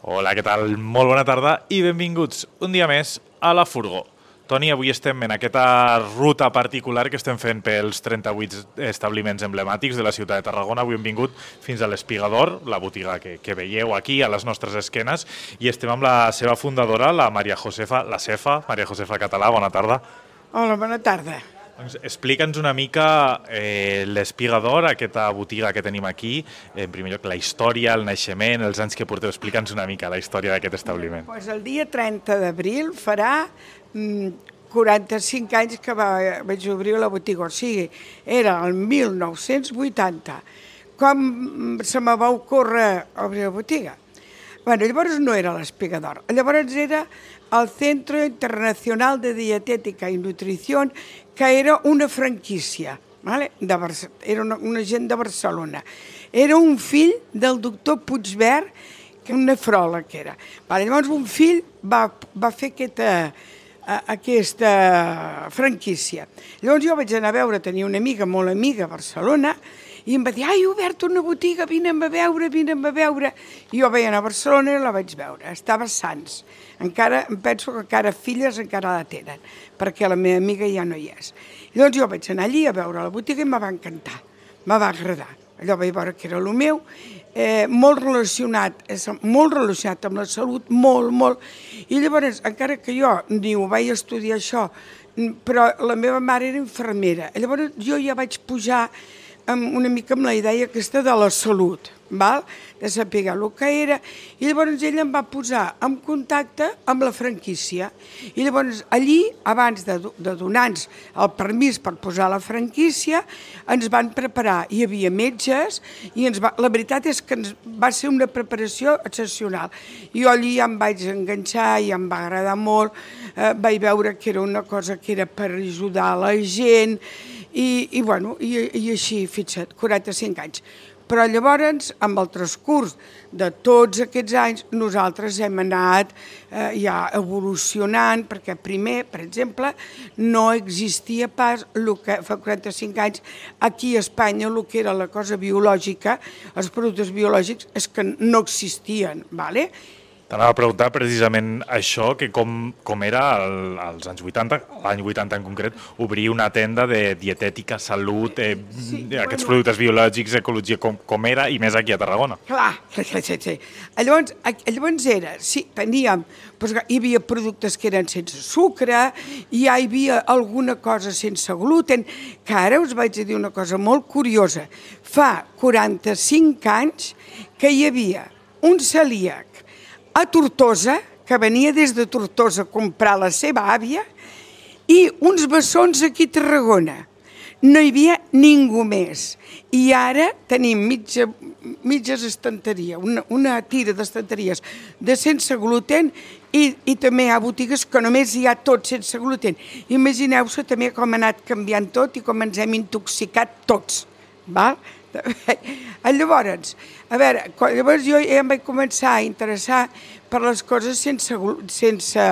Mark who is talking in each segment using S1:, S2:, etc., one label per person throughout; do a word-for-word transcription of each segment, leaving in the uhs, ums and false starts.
S1: Hola, què tal? Molt bona tarda i benvinguts un dia més a La Furgó. Toni, avui estem en aquesta ruta particular que estem fent pels trenta-vuit establiments emblemàtics de la ciutat de Tarragona. Avui hem vingut fins a l'Espigador, la botiga que, que veieu aquí a les nostres esquenes, i estem amb la seva fundadora, la Maria Josefa, la Cefa, Maria Josefa Català. Bona tarda.
S2: Hola, bona tarda.
S1: Doncs explica'ns una mica eh, l'Espigador, aquesta botiga que tenim aquí, en primer lloc la història, el naixement, els anys que porteu. Explica'ns una mica la història d'aquest establiment.
S2: Pues el dia trenta d'abril farà mm, quaranta-cinc anys que va, vaig obrir la botiga, o sigui, era el mil nou-cents vuitanta, com se me va ocórrer obrir la botiga. Bueno, llavors no era l'Espigador, llavors era el Centro Internacional de Dietética i Nutrició, que era una franquícia, ¿vale? de Barce era una, una gent de Barcelona. Era un fill del doctor Puigvert, que un nefròleg que era. Vale, llavors un fill va, va fer aquesta, aquesta franquícia. Llavors jo vaig anar a veure, tenia una amiga, molt amiga, a Barcelona, i em va dir, ai, he obert una botiga, vine'm a veure, vine'm a veure. I jo vaig anar a Barcelona i la vaig veure, estava a Sants. Encara, em penso que encara filles encara la tenen, perquè la meva amiga ja no hi és. I doncs jo vaig anar allí a veure la botiga i me va encantar, me va agradar. Allò vaig veure que era el meu, eh, molt relacionat, molt relacionat amb la salut, molt, molt. I llavors, encara que jo ni ho vaig estudiar això, però la meva mare era infermera. Llavors jo ja vaig pujar amb una mica amb la idea aquesta de la salut, val? De saber el que era, i llavors ella em va posar en contacte amb la franquícia. I llavors allí, abans de, de donar-nos el permís per posar la franquícia, ens van preparar, hi havia metges, i ens va, la veritat és que ens va ser una preparació excepcional. Jo allí ja em vaig enganxar, i em va agradar molt, eh, vaig veure que era una cosa que era per ajudar la gent, i, i, bueno, i, i així, fixa't, quaranta-cinc anys. Però llavors, amb el transcurs de tots aquests anys, nosaltres hem anat eh, ja evolucionant, perquè primer, per exemple, no existia pas el que fa quaranta-cinc anys aquí a Espanya, el que era la cosa biològica, els productes biològics, és que no existien, ¿vale?
S1: T'anava a preguntar precisament això, que com, com era el, als anys vuitanta, l'any vuitanta en concret, obrir una tenda de dietètica, salut, eh, sí, aquests bueno, productes biològics, ecologia, com, com era, i més aquí a Tarragona.
S2: Clar, sí, sí, sí. Llavors, llavors era, sí, teníem, doncs, hi havia productes que eren sense sucre, i ja hi havia alguna cosa sense gluten, que ara us vaig dir una cosa molt curiosa. Fa quaranta-cinc anys que hi havia un celíac a Tortosa, que venia des de Tortosa a comprar la seva àvia, i uns bessons aquí a Tarragona. No hi havia ningú més. I ara tenim mitja, mitges estanteries, una, una tira d'estanteries de sense gluten, i, i també hi ha botigues que només hi ha tot sense gluten. Imagineu-se també com ha anat canviant tot i com ens hem intoxicat tots, val? Llavors, a veure, llavors jo ja em vaig començar a interessar per les coses sense, sense,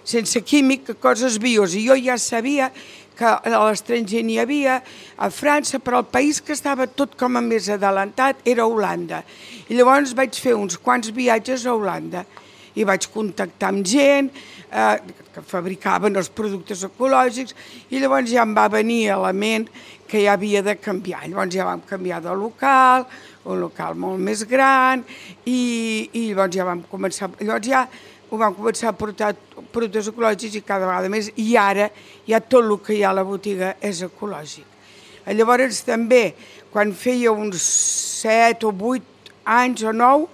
S2: sense químic, coses bios, i jo ja sabia que a l'estranger n'hi havia, a França, però el país que estava tot com a més adelantat era Holanda. I llavors vaig fer uns quants viatges a Holanda i vaig contactar amb gent eh, que fabricaven els productes ecològics, i llavors ja em va venir a la ment que ja havia de canviar. Llavors ja vam canviar de local, un local molt més gran, i, i llavors ja vam començar, llavors ja ho vam començar a portar productes ecològics i cada vegada més, i ara ja tot el que hi ha a la botiga és ecològic. Llavors també, quan feia uns set o vuit anys o nou,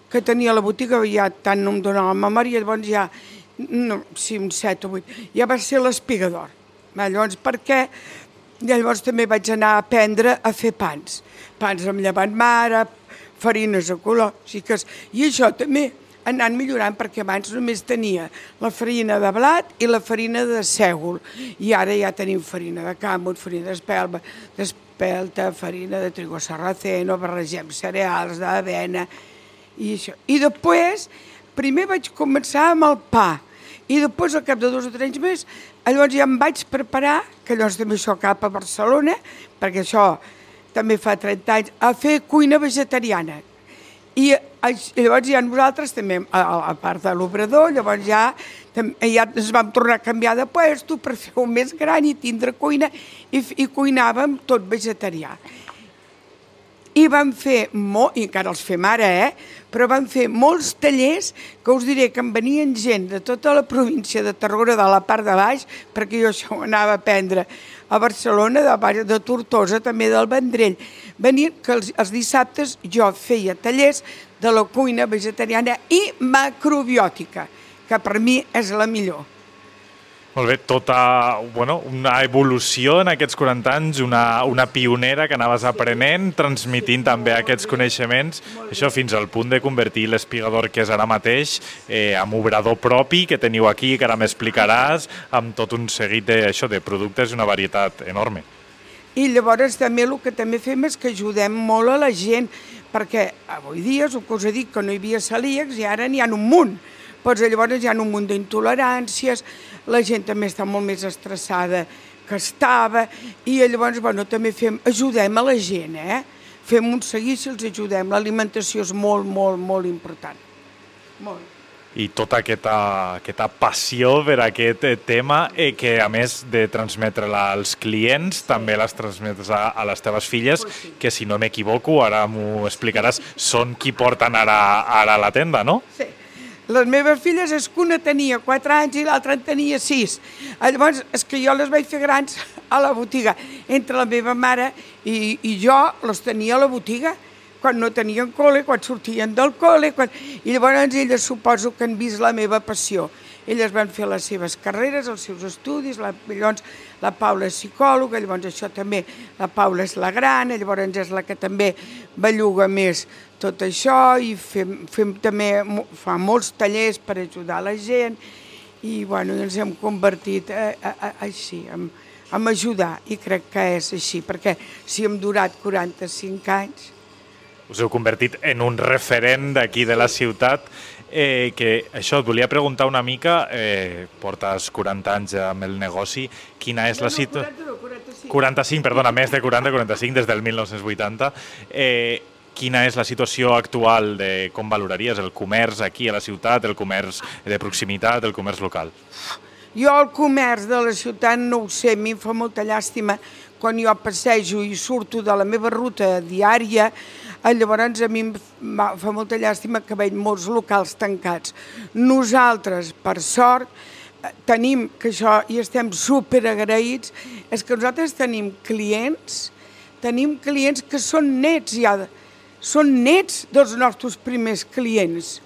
S2: que tenia la botiga, ja tant no em donava la memòria, llavors ja, no, sí, uns set o vuit, ja va ser l'Espigador. Llavors, per què? Llavors també vaig anar a aprendre a fer pans. Pans amb llevat mare, farines ecològiques, i això també ha anat millorant, perquè abans només tenia la farina de blat i la farina de sègol, i ara ja tenim farina de càmut, farina d'espelma, d'espelta, farina de trigo sarraceno, barregem cereals, d'avena, i això. I després, primer vaig començar amb el pa, i després, al cap de dos o tres anys més, llavors ja em vaig preparar, que llavors també això cap a Barcelona, perquè això també fa trenta anys, a fer cuina vegetariana. I llavors ja nosaltres també, a part de l'obrador, llavors ja, ja ens vam tornar a canviar de puesto per fer-ho més gran i tindre cuina i, i cuinàvem tot vegetarià. I vam fer, molt, i encara els fem ara, eh? però vam fer molts tallers que us diré que em venien gent de tota la província de Tarragona, de la part de baix, perquè jo això ho anava a aprendre a Barcelona, de, de Tortosa, també del Vendrell. Venien que els, els dissabtes jo feia tallers de la cuina vegetariana i macrobiòtica, que per mi és la millor.
S1: Molt bé, tota bueno, una evolució en aquests quaranta anys, una, una pionera que anaves aprenent, transmitint també aquests coneixements, això fins al punt de convertir l'espigador que és ara mateix eh, en obrador propi que teniu aquí, que ara m'explicaràs, amb tot un seguit de, això, de productes i una varietat enorme.
S2: I llavors també el que també fem és que ajudem molt a la gent, perquè avui dia, el que us he dit, que no hi havia celíacs i ara n'hi ha un munt. Doncs llavors hi ha un munt d'intoleràncies, la gent també està molt més estressada que estava, i llavors bueno, també fem, ajudem a la gent, eh? Fem un seguici, els ajudem. L'alimentació és molt, molt, molt important. Molt.
S1: I tota aquesta, aquesta passió per aquest tema eh, que, a més de transmetre-la als clients, també les transmetes a, a les teves filles, que, si no m'equivoco, ara m'ho explicaràs, són qui porten ara, ara a la tenda, no?
S2: Sí. Les meves filles, és que una tenia quatre anys i l'altra en tenia sis. Llavors, és que jo les vaig fer grans a la botiga. Entre la meva mare i, i jo les tenia a la botiga, quan no tenien col·le, quan sortien del col·le, quan... i llavors elles suposo que han vist la meva passió. Elles van fer les seves carreres, els seus estudis, la, llavors la Paula és psicòloga, llavors això també, la Paula és la gran, llavors és la que també belluga més tot això, i fem, fem també, fa molts tallers per ajudar la gent, i bueno, ens hem convertit a, a, a, així, en, en ajudar, i crec que és així, perquè si hem durat quaranta-cinc anys...
S1: Us heu convertit en un referent d'aquí de la ciutat, eh, que això, et volia preguntar una mica, eh, portes quaranta anys amb el negoci, quina és la situació...
S2: No, no, quaranta-cinc.
S1: quaranta-cinc, perdona, més de quaranta, quaranta-cinc, des del mil nou-cents vuitanta. Eh, quina és la situació actual de com valoraries el comerç aquí a la ciutat, el comerç de proximitat, el comerç local?
S2: Jo el comerç de la ciutat no ho sé, a mi em fa molta llàstima quan jo passejo i surto de la meva ruta diària, llavors a mi em fa molta llàstima que veig molts locals tancats. Nosaltres, per sort, tenim, que això i estem superagraïts, és que nosaltres tenim clients, tenim clients que són nets ja, són nets dels nostres primers clients.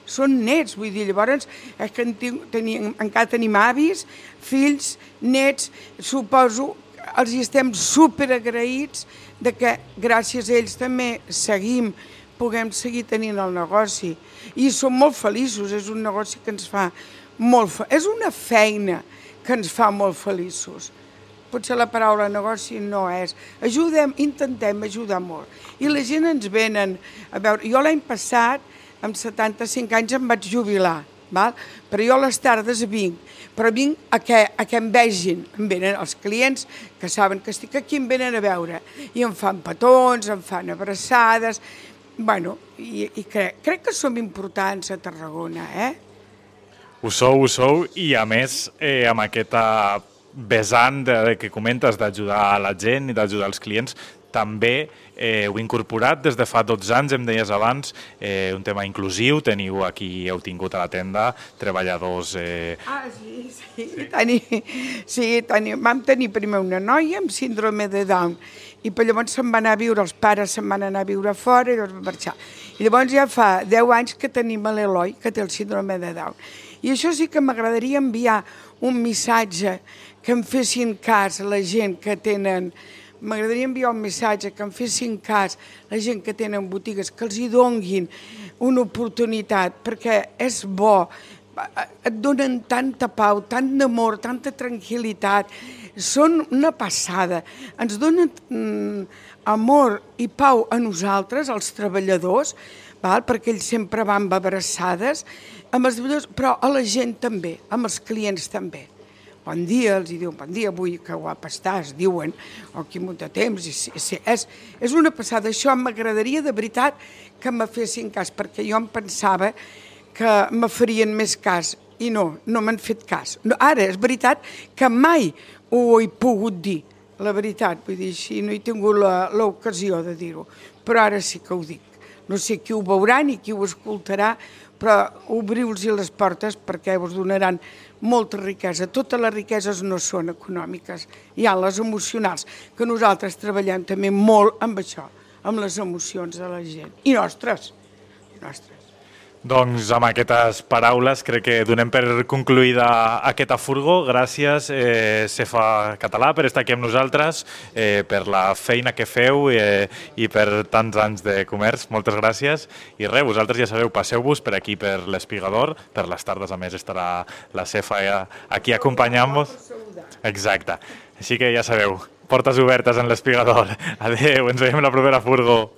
S2: Són nets, vull dir, llavors és que tenim, encara tenim avis, fills, nets, suposo, els hi estem superagraïts de que gràcies a ells també seguim, puguem seguir tenint el negoci. I som molt feliços, és un negoci que ens fa molt feliços, és una feina que ens fa molt feliços. Potser la paraula negoci no és. Ajudem, intentem ajudar molt. I la gent ens venen a veure. Jo l'any passat, amb setanta-cinc anys, em vaig jubilar, val? Però jo a les tardes vinc, però vinc a que, a que em vegin. Em venen els clients que saben que estic aquí, em venen a veure. I em fan petons, em fan abraçades. Bueno, i, i crec, crec que som importants a Tarragona, eh?
S1: Ho sou, ho sou, i a més, eh, amb aquesta vessant de, que comentes d'ajudar a la gent i d'ajudar els clients, també eh, heu incorporat des de fa dotze anys, em deies abans, eh, un tema inclusiu, teniu aquí, heu tingut a la tenda treballadors... Eh...
S2: Ah, sí, sí, sí. Teni, sí teni, vam tenir primer una noia amb síndrome de Down, i per llavors se'n va anar a viure, els pares se'n van anar a viure fora i llavors va marxar. I llavors ja fa deu anys que tenim l'Eloi, que té el síndrome de Down. I això sí que m'agradaria enviar un missatge que em fessin cas la gent que tenen... M'agradaria enviar un missatge que em fessin cas la gent que tenen botigues, que els hi donguin una oportunitat, perquè és bo, et donen tanta pau, tant d'amor, tanta tranquil·litat, són una passada, ens donen mm, amor i pau a nosaltres, als treballadors, val? Perquè ells sempre van abraçades, amb els treballadors, però a la gent també, amb els clients també. bon dia, els diuen bon dia, avui que guapa estàs, diuen, o quin munt de temps, i sí, sí, és, és una passada. Això m'agradaria de veritat que me fessin cas, perquè jo em pensava que me farien més cas, i no, no m'han fet cas. No, ara, és veritat que mai ho he pogut dir, la veritat, vull dir, així no he tingut l'ocasió de dir-ho, però ara sí que ho dic. No sé qui ho veurà ni qui ho escoltarà, però obriu-los les portes perquè us donaran molta riquesa. Totes les riqueses no són econòmiques, hi ha les emocionals, que nosaltres treballem també molt amb això, amb les emocions de la gent. I nostres, nostres.
S1: Doncs amb aquestes paraules crec que donem per concluïda aquesta furgo. Gràcies, eh, Cefa Català, per estar aquí amb nosaltres, eh, per la feina que feu eh, i per tants anys de comerç. Moltes gràcies. I res, vosaltres ja sabeu, passeu-vos per aquí, per l'Espigador. Per les tardes, a més, estarà la Cefa aquí acompanyant-vos. Exacte. Així que ja sabeu, portes obertes en l'Espigador. Adéu, ens veiem la propera furgo.